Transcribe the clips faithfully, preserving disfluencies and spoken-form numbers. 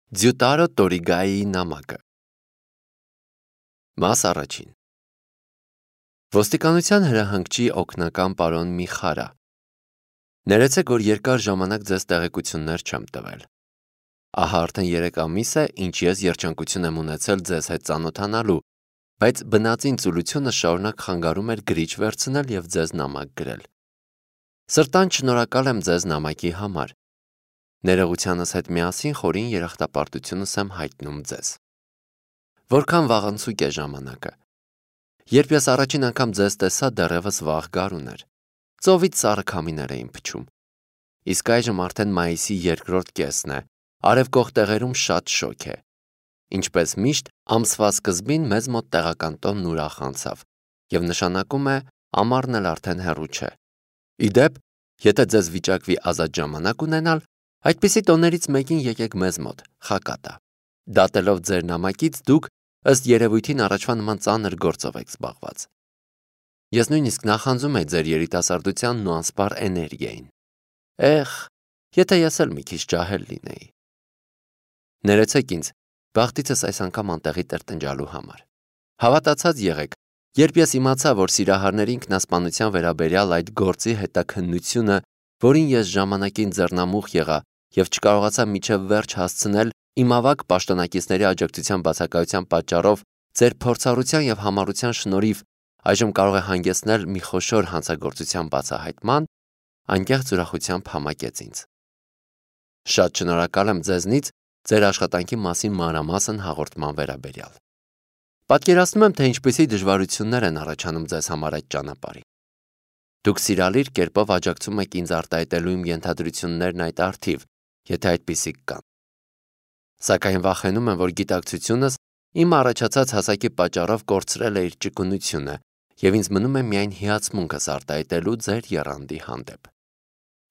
Ձյուտարո Տորիգայի նամակը Մաս առաջին Ոստիկանության հրահանգչի օգնական պարոն Միխարա Ներեցեք, որ երկար ժամանակ ձեզ տեղեկություններ չեմ տվել։ Ահա արդեն երեք ամիս է, ինչ ես երջանկություն եմ ունեցել ձեզ հետ ծանոթանալու, բայց բնածին ծուլությունը շարունակ խանգարում էր գրիչ վերցնել և ձեզ նամակ գրել։ Սրտան շնորհակալ եմ ձեզ նամակի համար։ Ներողությանս հետ միասին խորին երախտապարտությունս եմ հայտնում ձեզ։ Որքան վաղանցուկ է ժամանակը։ Երբ ես առաջին անգամ ձեզ տեսա, դեռևս վաղ գարուն էր։ Ծովից սառը քամիներ էին փչում։ Իսկ այժմ արդեն մայիսի երկրորդ կեսն է, արևկող տեղերում շատ շոգ է։ Ինչպես միշտ, ամսվա սկզբին մեզ մոտ տեղական տոնն ուրախ անցավ, և նշանակում է ամառն էլ արդեն հեռու չէ։ Ի դեպ, եթե ձեզ վիճակվի ազատ ժամանակ ունենալ, այդպիսի տոներից մեկին եկեք մեզ մոտ, Խակատա։ Դատելով ձեր նամակից դուք ըստ երևույթին առաջվա նման ծանր գործով եք զբաղված։ Ես նույնիսկ նախանձում եմ ձեր երիտասարդությանն ու անսպառ էներգիային։ Էխ, եթե ես էլ մի քիչ ջահել լինեի։ Ներեցեք ինձ, բախտիցս այս անգամ անտեղի տրտնջալու համար։ Հավատացած եղեք, երբ ես իմացա, որ սիրահարների ինքնասպանության վերաբերյալ այդ գործի հետաքննությունը, որին ես ժամանակին ձեռնամուխ եղա և չկարողացա մինչև վերջ հասցնել, իմ ավագ պաշտոնակիցների աջակցության բացակայության պատճառով ձեր փորձառության և համառության շնորհիվ այժմ կարող է հանգեցնել մի խոշոր հանցագործության բացահայտման, անկեղծ ուրախությամբ համակեց ինձ։ Շատ շնորհակալ եմ ձեզնից ձեր աշխատանքի մասին մանրամասն հաղորդման վերաբերյալ։ Պատկերացնում եմ, թե ինչպիսի դժվարություններ են առաջանում ձեզ համար այդ ճանապարհին։ Դուք սիրալիր կերպով աջակցում եք ինձ արտահայտելու իմ ենթադրություններն այդ առթիվ, եթե այդպիսիք կան։ Սակայն վախենում եմ, որ գիտակցությունս իմ առաջացած հասակի պատճառով կորցրել է իր ճկունությունը, և ինձ մնում է միայն հիացմունքս արտահայտելու ձեր եռանդի հանդեպ։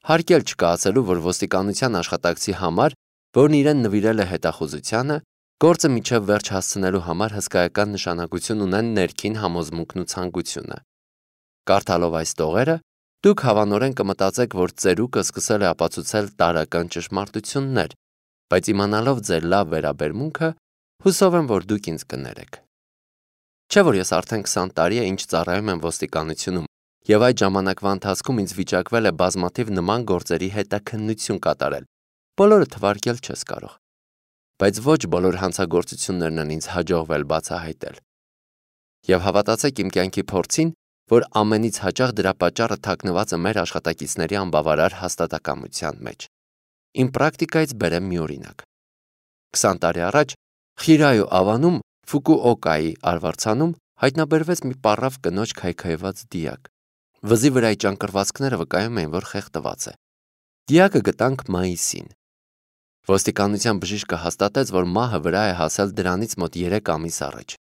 Հարկ էլ չկա ասելու, որ ոստիկանության աշխատակցի համար, որն իրեն նվիրել է հետախուզությանը, գործը մինչև վերջ հասցնելու համար հսկայական նշանակություն ունեն ներքին համոզմունքն ու ցանկությունը։ Կարդալով այս տողերը, դուք հավանորեն կմտածեք, որ ծերուկը սկսել է ապացուցել տարրական ճշմարտություններ, բայց իմանալով ձեր լավ վերաբերմունքը, հուսով եմ, որ դուք ինձ կներեք։ Չէ՞ որ ես արդեն քսան տարի է, ինչ ծառայում եմ ոստիկանությունում, և այդ ժամանակվա ընթացքում ինձ վիճակվել է բազմաթիվ նման գործերի հետաքննություն կատարել, բոլորը թվարկել չես կարող։ Բայց ոչ բոլոր հանցագործություններն են ինձ հաջողվել բացահայտել։ Եվ հավատացեք իմ կյանքի փորձին, որ ամենից հաճախ դրա պատճառը թաքնված է մեր աշխատակիցների անբավարար հաստատակամության մեջ։ Իմ պրակտիկայից բերեմ մի օրինակ։ Քսան տարի առաջ Խիրայու ավանում Ֆուկուօկայի արվարձանում հայտնաբերվեց մի պառավ կնոջ քայքայված դիակ։ Վզի վրայի ճանկռվածքները վկայում էին, որ խեղդված է։ Դիակը գտանք մայիսին։ Ոստիկանության բժիշկը հաստատեց, որ մահը վրա է հասել դրանից մոտ երեք ամիս առաջ։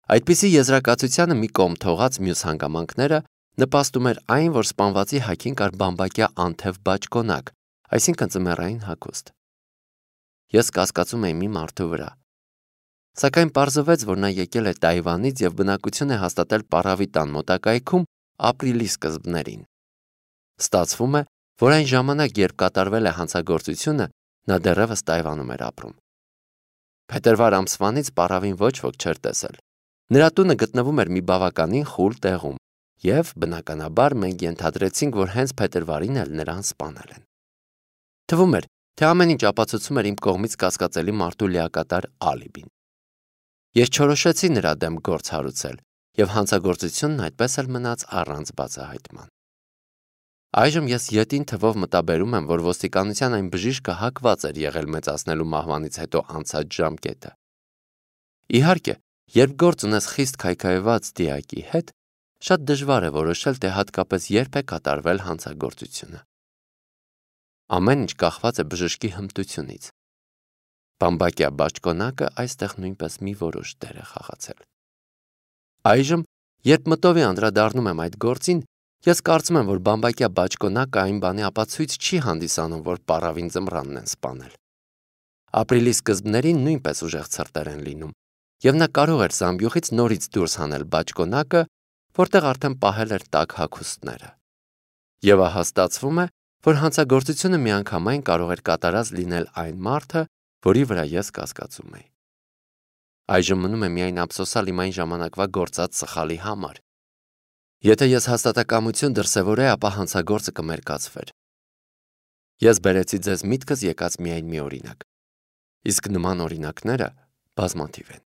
Այդպիսի եզրակացությանը մի կողմ թողած մյուս հանգամանքները նպաստում էր այն, որ սպանվածի հագին կար բամբակյա անթև բաճկոնակ, այսինքն ձմեռային հագուստ։ Ես կասկածում էի մի մարդու վրա։ Սակայն պարզվեց, որ նա եկել է Թայվանից և բնակություն է հաստատել պառավի տան մոտակայքում ապրիլի սկզբներին։ Ստացվում է, որ այն ժամանակ, երբ կատարվել է հանցագործությունը, նա դեռևս Թայվանում էր ապրում։ Փետրվար ամսվանից պառավին ոչ ոք չէր տեսել։ Նրա տունը գտնվում էր մի բավականին խուլ տեղում, և, բնականաբար, մենք ենթադրեցինք, որ հենց փետրվարին էլ նրան սպանել են։ Թվում էր, թե ամեն ինչ ապացուցում էր իմ կողմից կասկածելի մարդու լիակատար ալիբին։ Ես չորոշեցի նրա դեմ գործ հարուցել, և հանցագործությունն այդպես էլ մնաց առանց բացահայտման։ Այժմ ես ետին թվով մտաբերում եմ, որ ոստիկանության այն բժիշկը հակված էր եղել մեծացնելու մահվանից հետո անցած ժամկետը։ Իհարկե, երբ գործ ունես խիստ քայքայված դիակի հետ, շատ դժվար է որոշել, թե հատկապես երբ է կատարվել հանցագործությունը։ Ամեն ինչ կախված է բժշկի հմտությունից։ Բամբակյա բաճկոնակը այստեղ նույնպես մի որոշ դեր է խաղացել։ Այժմ, երբ մտովի անդրադառնում եմ այդ գործին, ես կարծում եմ, որ բամբակյա բաճկոնակը այն բանի ապացույց չի հանդիսանում, որ պառավին ձմռանն են սպանել։ Ապրիլի սկզբներին նույնպես ուժեղ ցրտեր են լինում, և նա կարող էր զամբյուղից նորից դուրս հանել բաճկոնակը, որտեղ արդեն պահել էր տաք հագուստները։ Եվ ահա ստացվում է, որ հանցագործությունը միանգամայն կարող էր կատարած լինել այն մարդը, որի վրա ես կասկածում էի։ Այժմ մնում է միայն ափսոսալ իմ այն ժամանակվա գործած սխալի համար։ Եթե ես հաստատակամություն դրսևորեի, ապա հանցագործը կմերկացվեր։ Ես բերեցի ձեզ միտքս եկած միայն մի օրինակ։ Իսկ նման օրինակները բազմաթիվ են։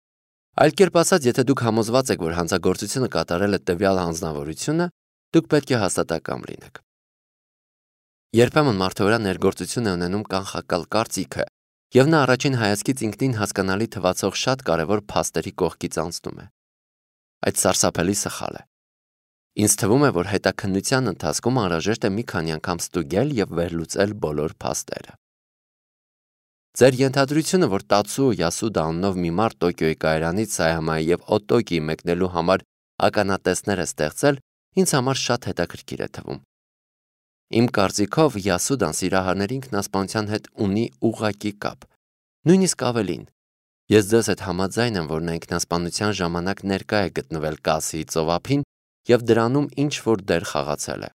Այլ կերպ ասած, եթե դուք համոզված եք, որ հանցագործությունը կատարել է տվյալ անձնավորությունը, դուք պետք է հաստատակամ լինեք։ Երբեմն մարդու վրա ներգործություն է ունենում կանխակալ կարծիքը, եւ նա առաջին հայացքից ինքնին հասկանալի թվացող շատ կարևոր փաստերի կողքից անցնում է։ Այդ սարսափելի սխալ է։ Ինձ թվում է, որ հետաքննության ընթացքում անհրաժեշտ է մի քանի անգամ ստուգել եւ վերլուծել բոլոր փաստերը։ Ձեր ենթադրությունը, որ Տացուո Յասուդա անունով մի մարդ Տոկիոյի կայարանից Սայամայի եւ Օտոկիի մեկնելու համար ականատեսներ է ստեղծել, ինձ համար շատ հետաքրքիր է թվում։ Իմ կարծիքով Յասուդան սիրահարների ինքնասպանության հետ ունի ուղղակի կապ։ Նույնիսկ ավելին, ես ձեզ հետ համաձայն եմ, որ նա ինքնասպանության ժամանակ ներկա է գտնվել Կասիի ծովափին եւ դրանում ինչ որ դեր խաղացել է։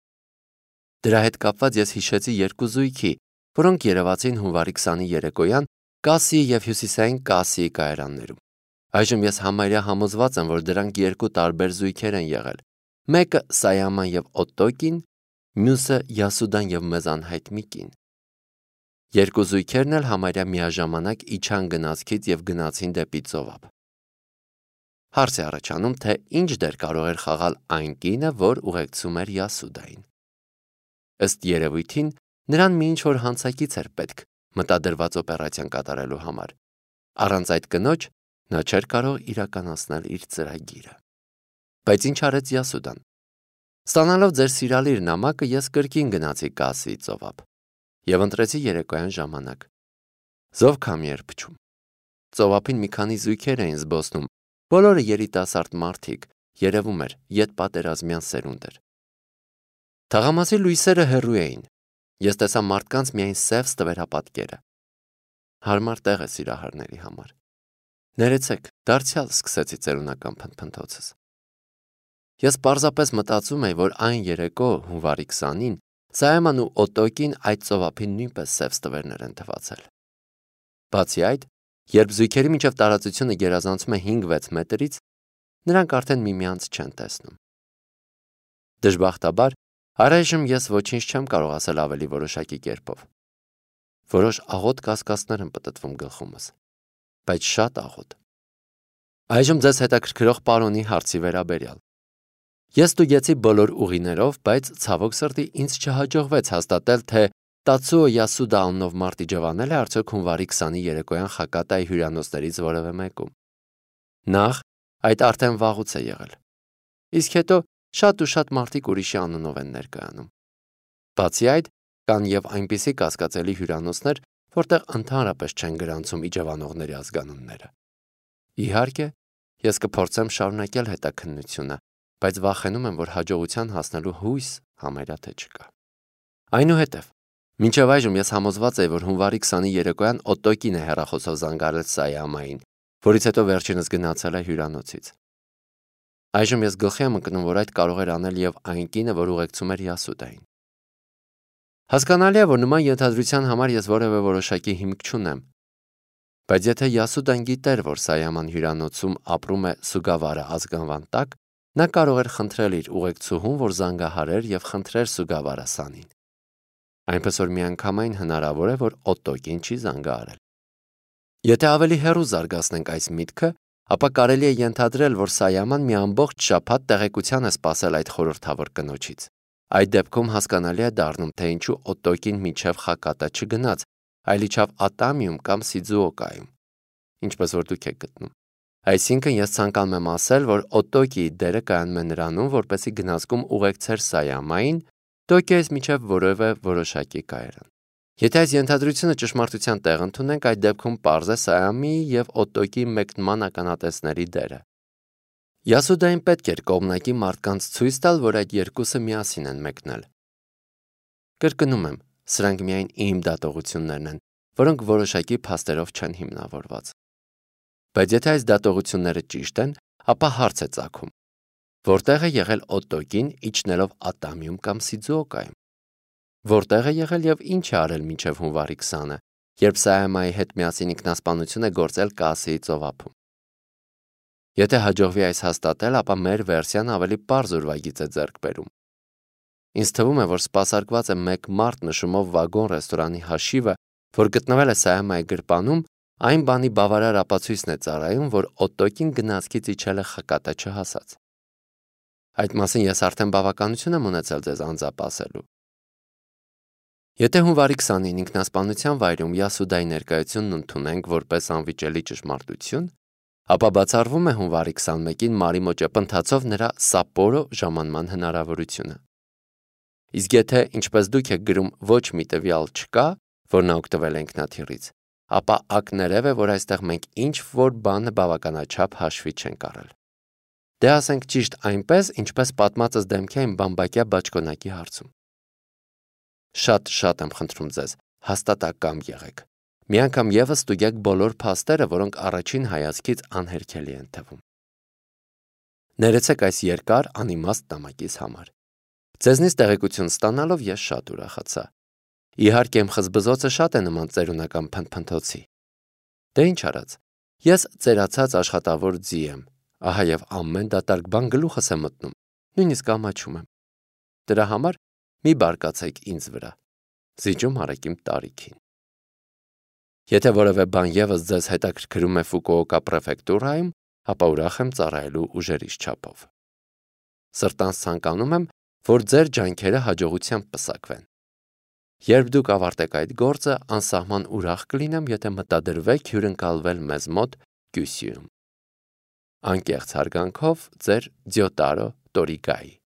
Դրա հետ կապված ես հիշեցի երկու զույգի, որոնք երևացին հունվարի քսանի երեկոյան Կասիի եւ հյուսիսային Կասիի կայարաններում։ Այժմ ես համարյա համոզված եմ, որ դրանք երկու տարբեր զույգեր են եղել։ Մեկը Սայաման եւ Օտոկին, մյուսը Յասուդան եւ մեզ անհայտ մի կին։ Երկու զույգերն էլ համարյա միաժամանակ իջան գնացքից եւ գնացին դեպի ծովափ։ Հարց է առաջանում, թե ինչ դեր կարող էր խաղալ այն կինը, որ ուղեկցում էր Յասուդային։ Ըստ երևույթին, նրան մի ինչ-որ հանցակից էր պետք մտադրված օպերացիան կատարելու համար։ Առանց այդ կնոջ նա չէր կարող իրականացնել իր ծրագիրը։ Բայց ինչ արեց Յասուդան։ Ստանալով ձեր սիրալիր նամակը, ես կրկին գնացի Կասիի ծովափ եւ ընտրեցի երեկոյան ժամանակ։ Զով քամի էր փչում։ Ծովափին մի քանի զույգեր էին զբոսնում, բոլորը երիտասարդ մարդիկ, երևում էր, ետպատերազմյան սերունդ էր։ Թաղամասի լույսերը հեռու էին։ Ես տեսա մարդկանց միայն սև ստվերապատկերը։ Հարմար տեղ է սիրահարների համար։ Ներեցեք, դարձյալ սկսեցի ծերունական փնփնթոցս։ Ես պարզապես մտածում էի, որ այն երեկո հունվարի քսանին Սայաման ու Օտոկին այդ ծովափին նույնպես սև ստվերներ են թվացել։ Բացի այդ, երբ զույգերի միջև տարածությունը գերազանցում է հինգ-վեց մետրից, նրանք արդեն միմյանց չեն տեսնում։ Դժբախտաբար, առայժմ ես ոչինչ չեմ կարող ասել ավելի որոշակի կերպով։ Որոշ աղոտ կասկածներ են պտտվում գլխումս, բայց շատ աղոտ։ Այժմ ձեզ հետաքրքրող պարոնի հարցի վերաբերյալ։ Ես ստուգեցի բոլոր ուղիներով, բայց ցավոք սրտի ինձ չհաջողվեց հաստատել, թե Տացուո Յասուդա անունով մարդի ջվանել է արդյոք հունվարի քսանի երեկոյան Խակատայի հյուրանոցներից որևէ մեկում։ Նախ, այդ արդեն վաղուց է եղել։ Իսկ հետո շատ ու շատ մարդիկ ուրիշի անունով են ներկայանում։ Բացի այդ, կան եւ այնպիսի կասկածելի հյուրանոցներ, որտեղ ընդհանրապես չեն գրանցում իջևանողների ազգանունները։ Իհարկե, ես կփորձեմ շարունակել հետաքննությունը, բայց վախենում եմ, որ հաջողության հասնելու հույս համարյա թե չկա։ Այնուհետև, մինչև այժմ ես համոզված եի, որ հունվարի քսանի երեկոյան Օտոկին է հեռախոսով զանգարել Սայամային, որից հետո վերջինս գնացել է հյուրանոցից։ Այժմ ես գլխի եմ ընկնում, որ այդ կարող էր անել եւ այն կինը, որ ուղեկցում էր Յասուդային։ Հասկանալի է, որ նման ենթադրության համար ես որևէ որոշակի հիմք չունեմ։ Բայց եթե Յասուդան գիտեր, որ Սայաման հյուրանոցում ապրում է Սուգավարա ազգանվան տակ, նա կարող էր խնդրել իր ուղեկցուհուն, որ զանգահարեր եւ խնդրեր Սուգավարա Սանին։ Այնպես որ միանգամայն հնարավոր է, որ Օտոկին չի զանգահարել։ Եթե ավելի հեռու զարգացնենք այս միտքը, ապա կարելի է ենթադրել, որ Սայաման մի ամբողջ շաբաթ տեղեկության է սպասել այդ խորհրդավոր կնոջից։ Այդ դեպքում հասկանալի է դառնում, թե ինչու Օտոկին մինչև Խակատա չգնաց, այլ իջավ Ատամիում կամ Սիձուոկայում, ինչպես որ դուք եք գտնում։ Այսինքն ես ցանկանում եմ ասել, որ Օտոկիի դերը կայանում է նրանում, որպեսզի գնացքում ուղեկցեր Սայամային Տոկիոյից մինչև որևէ որոշակի կայարան։ Եթե այս ենթադրությունը ճշմարտության տեղ ընդունենք, այդ դեպքում պարզ է Սայամիի եւ Օտոկիի մեկնման ականատեսների դերը։ Յասուդային պետք էր կողմնակի մարդկանց ցույց տալ, որ այդ երկուսը միասին են մեկնել։ Կրկնում եմ, սրանք միայն իմ դատողություններն են, որոնք որոշակի փաստերով չեն հիմնավորված։ Բայց եթե այս դատողությունները ճիշտ են, ապա հարց է ծագում. որտեղ է եղել Օտոկին իջնելով Ատամիում կամ Սիձուոկայում։ Որտեղ է եղել եւ ինչ է արել մինչև հունվարի քսանը երբ Սայամայի հետ միասին ինքնասպանություն է գործել Կասիի ծովափում։ Եթե հաջողվի այս հաստատել, ապա մեր վերսիան ավելի պարզ ուրվագիծ է ձեռք բերում։ Ինձ թվում է, որ սպասարկված է մեկ մարդ նշումով վագոն ռեստորանի հաշիվը, որ գտնվել է Սայամայի գրպանում, այն բանի բավարար ապացույցն է ծառայում, որ Օտոկին գնացքից իջել է խկատը չհասած։ Այդ մասին ես արդեն բավականություն եմ ունեցել ձեզ անձամբ ասելու։ Եթե հունվարի քսանինը ինքնասպանության վայրում Յասուդայի ներկայությունն ընդունենք որպես անվիճելի ճշմարտություն, ապա բացառվում է հունվարի քսանմեկին Մարիմո ճեպընթացով նրա Սապորո ժամանման հնարավորությունը։ Իսկ եթե, ինչպես դուք եք գրում, ոչ մի տվյալ չկա, որ նա օգտվել է ինքնաթիռից, ապա ակներև է, որ այստեղ մենք ինչ-որ բանը բավականաչափ հաշվի չենք առել։ Դե ասենք ճիշտ այնպես, ինչպես պատմածս դեմքի այն բամբակյա բաճկոնակի հարցում։ Շատ-շատ եմ խնդրում ձեզ, հաստատակամ եղեք։ Մի անգամ ևս ստուգեք բոլոր փաստերը, որոնք առաջին հայացքից անհերքելի են թվում։ Ներեցեք այս երկար անիմաստ նամակից համար։ Ձեզնից տեղեկություն ստանալով ես շատ ուրախացա։ Իհարկե իմ խզբզոցը շատ է նման ծերունական փնփնթոցի։ Դե ինչ արած, ես ծերացած աշխատավոր ձի եմ, ահա եւ ամեն դատարկ բան գլուխս է մտնում, նույնիսկ ամաչում եմ։ Դրա համար մի բարկացեք ինձ վրա, զիջում արեք իմ տարիքին։ Եթե որևէ բան ևս ձեզ հետաքրքրում է Ֆուկուոկա պրեֆեկտուրայում, ապա ուրախ եմ ծառայելու ուժերիս չափով։ Սրտանց ցանկանում եմ, որ ձեր ջանքերը հաջողությամբ պսակվեն։ Երբ դուք ավարտեք այդ գործը, անսահման ուրախ կլինեմ, եթե մտադրվեք հյուրընկալվել մեզ մոտ Կյուսյուում։ Անկեղծ հարգանքով, ձեր Ձյոտարո Տորիգայի։